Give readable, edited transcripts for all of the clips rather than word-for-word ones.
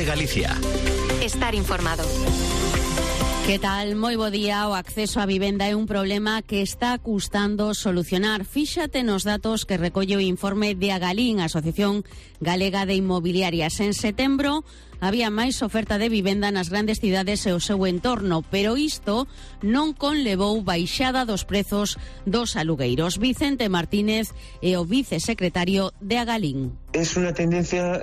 COPE Galicia. Estar informado. Que tal? Moi bo día. O acceso á vivenda é un problema que está custando solucionar. Fíxate nos datos que recolle o informe de Agalín, Asociación Galega de Inmobiliarias. En setembro había máis oferta de vivenda nas grandes cidades e o seu entorno, pero isto non conlevou baixada dos prezos dos alugueiros. Vicente Martínez é o vicesecretario de Agalín. Es una tendencia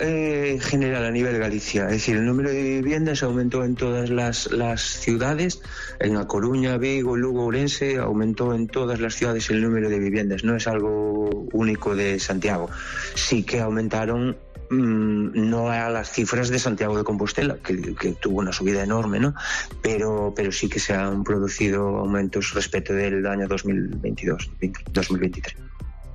general a nivel Galicia, es decir, el número de viviendas aumentó en todas las ciudades, en A Coruña, Vigo, Lugo, Ourense, aumentó en todas las ciudades el número de viviendas, no es algo único de Santiago. Sí que aumentaron, no a las cifras de Santiago de Compostela, que tuvo una subida enorme, ¿no? Pero sí que se han producido aumentos respecto del año 2022-2023.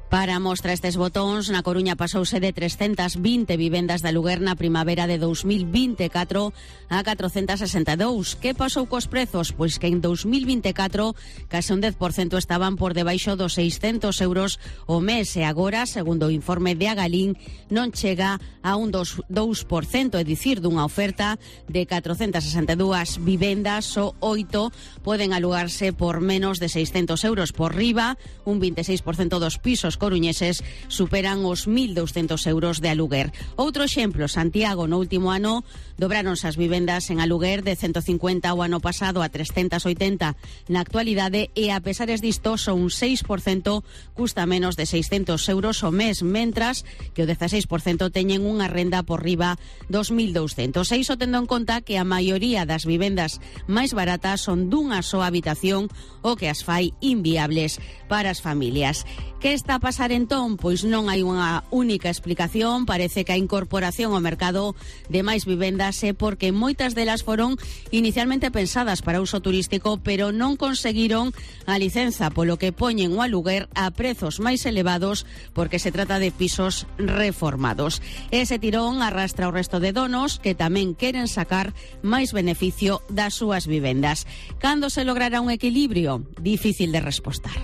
Para mostra estes botóns, na Coruña pasouse de 320 vivendas de aluguer na primavera de 2024 a 462. Que pasou cos prezos? Pois que en 2024 case un 10% estaban por debaixo dos 600 euros o mes e agora, segundo o informe de Agalín, non chega a un 2%, é dicir, dunha oferta de 462 vivendas, só 8 poden alugarse por menos de 600 euros por riba, un 26% dos pisos coruñeses superan os 1.200 euros de aluguer. Outro exemplo, Santiago, no último ano dobráronse as vivendas en aluguer de 150 o ano pasado a 380 na actualidade e a pesares disto son un 6% custa menos de 600 euros o mes, mentras que o 16% teñen unha renda por riba dos 1.200. E iso tendo en conta que a maioría das vivendas máis baratas son dunha soa habitación o que as fai inviables para as familias. Que está a pasar entón? Pois non hai unha única explicación. Parece que a incorporación ao mercado de máis vivendas é porque moitas delas foron inicialmente pensadas para uso turístico, pero non conseguiron a licenza, polo que poñen o aluguer a prezos máis elevados porque se trata de pisos reformados. Ese tirón arrastra o resto de donos que tamén queren sacar máis beneficio das súas vivendas. Cando se logrará un equilibrio? Difícil de respostar.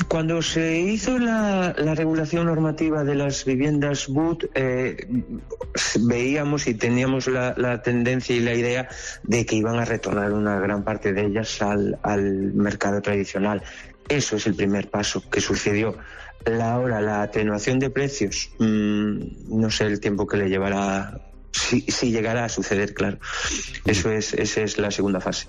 Cuando se hizo la regulación normativa de las viviendas BUT, veíamos y teníamos la tendencia y la idea de que iban a retornar una gran parte de ellas al mercado tradicional. Eso es el primer paso que sucedió. Ahora, la atenuación de precios, no sé el tiempo que le llevará, si llegará a suceder, claro. Esa es la segunda fase.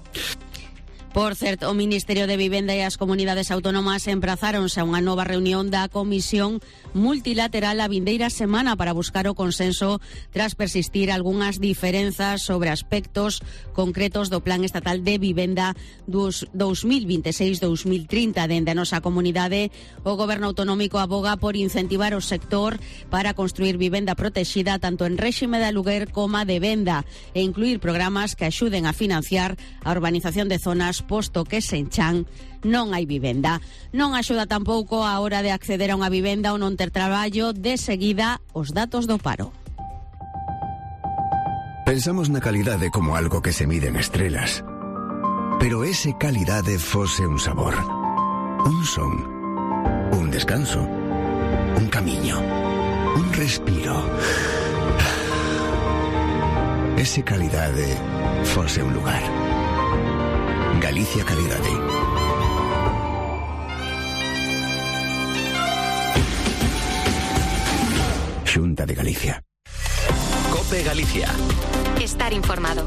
Por certo, o Ministerio de Vivenda e as comunidades autónomas emprazáronse a unha nova reunión da Comisión Multilateral a vindeira semana para buscar o consenso tras persistir algunhas diferenzas sobre aspectos concretos do Plan Estatal de Vivenda dos 2026-2030. Dende a nosa comunidade, o Goberno Autonómico aboga por incentivar o sector para construir vivenda protexida tanto en réxime de aluguer como de venda e incluir programas que axuden a financiar a urbanización de zonas posto que sen chan non hai vivenda. Non axuda tampouco a hora de acceder a unha vivenda ou non ter traballo. De seguida, os datos do paro. Pensamos na calidade como algo que se mide en estrelas. Pero ese calidade fose un sabor, un son, un descanso, un camiño, un respiro. Ese calidade fose un lugar. Galicia Calidade. Xunta de Galicia. COPE Galicia. Estar informado.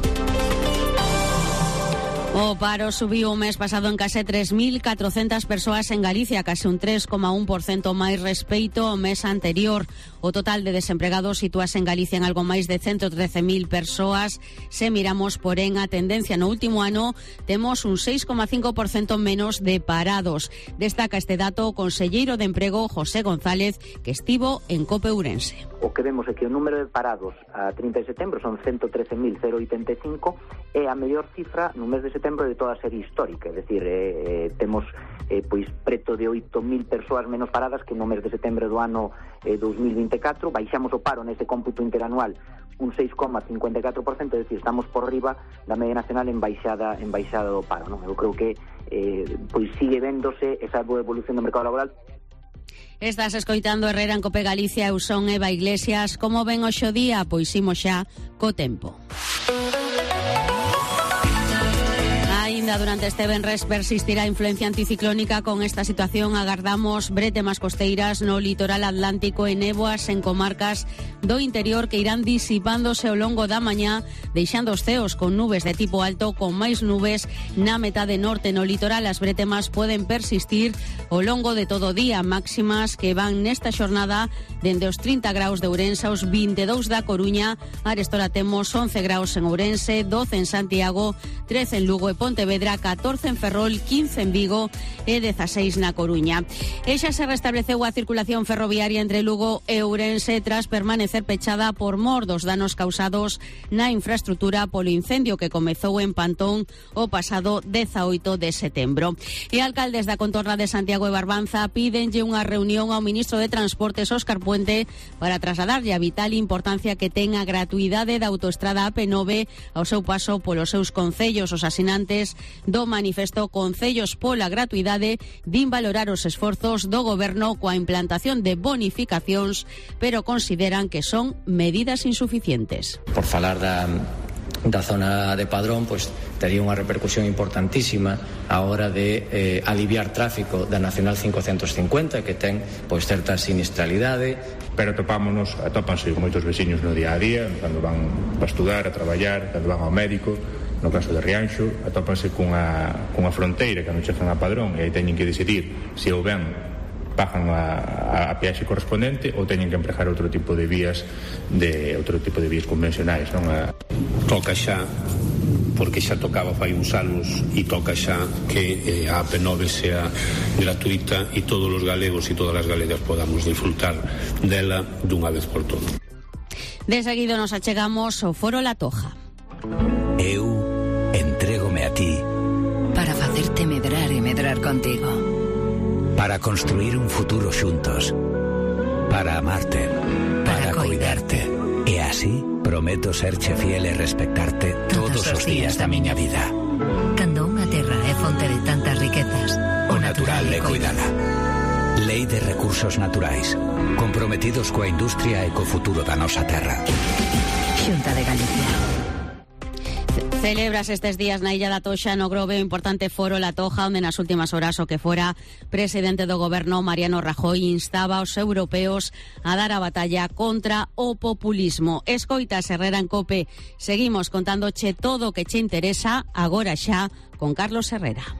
O paro subiu o mes pasado en case 3.400 persoas en Galicia, case un 3,1% máis respecto ao mes anterior. O total de desempregados sitúase en Galicia en algo máis de 113.000 persoas. Se miramos, porén, a tendencia no último ano, temos un 6,5% menos de parados. Destaca este dato o conselleiro de Emprego, José González, que estivo en COPE Ourense. O que vemos é que o número de parados a 30 de setembro son 113.085 e a mellor cifra no mes de setembro de toda a serie histórica, é dicir, temos pois preto de 8.000 persoas menos paradas que no mes de setembro do ano 2024, baixamos o paro nese cómputo interanual un 6,54%, é dicir, estamos por riba da media nacional en baixada do paro, non? Eu creo que pois sigue véndose esa boa evolución do mercado laboral. Estás escoitando Herrera en Cope Galicia, eu son Eva Iglesias. Como ven hoxe o día? Pois imos xa co tempo. Ainda durante este venres persistirá a influencia anticiclónica. Con esta situación agardamos bretemas costeiras no litoral atlántico e néboas en comarcas do interior que irán disipándose ao longo da mañá, deixando os ceos con nubes de tipo alto, con máis nubes na metade norte. No litoral as bretemas poden persistir ao longo de todo o día, máximas que van nesta xornada dende os 30 graus de Ourense aos 22 da Coruña. Arestora temos 11 graus en Ourense, 12 en Santiago, 13 en Lugo e Pontevedra, 14 en Ferrol, 15 en Vigo e 16 na Coruña. E xa se restableceu a circulación ferroviaria entre Lugo e Ourense tras permanecer pechada por mor dos danos causados na infraestrutura polo incendio que comezou en Pantón o pasado 18 de setembro. E alcaldes da contorna de Santiago e Barbanza pídenlle unha reunión ao ministro de Transportes, Óscar Puente, para trasladarlle a vital importancia que ten a gratuidade da autoestrada AP9 ao seu paso polos seus concellos. Os asinantes do manifesto Concellos pola Gratuidade din valorar os esforzos do goberno coa implantación de bonificacións, pero consideran que son medidas insuficientes. Por falar da zona de Padrón, pois tería unha repercusión importantísima a hora de aliviar tráfico da Nacional 550, que ten pois certa sinistralidade. Pero atópanse moitos veciños no día a día, cando van a estudar, a traballar, cando van ao médico. No caso de Rianxo, atópanse cunha fronteira que non chegan a Padrón e aí teñen que decidir se ou ben pagan a peaxe correspondente ou teñen que empregar outro tipo de vías convencionais, non? Toca xa, porque xa tocaba fai uns anos, e toca xa que a AP9 sea gratuita e todos os galegos e todas as galegas podamos disfrutar dela dunha vez por todas. De seguido nos achegamos ao Foro La Toja. Eu entrégome a ti para facerte medrar e medrar contigo, para construir un futuro xuntos, para amarte, para coidarte. E así prometo serche fiel e respectarte todos os días da miña vida. Cando unha terra é fonte de tantas riquezas, o natural é cuidala. Lei de Recursos Naturais, comprometidos coa industria e co futuro da nosa terra. Xunta de Galicia. Celebras estes días na Illa da Toxa, no Grove, o importante Foro La Toja, onde nas últimas horas o que fora presidente do goberno, Mariano Rajoy, instaba aos europeos a dar a batalla contra o populismo. Escoitas Herrera en Cope. Seguimos contándoche todo o que che interesa, agora xa con Carlos Herrera.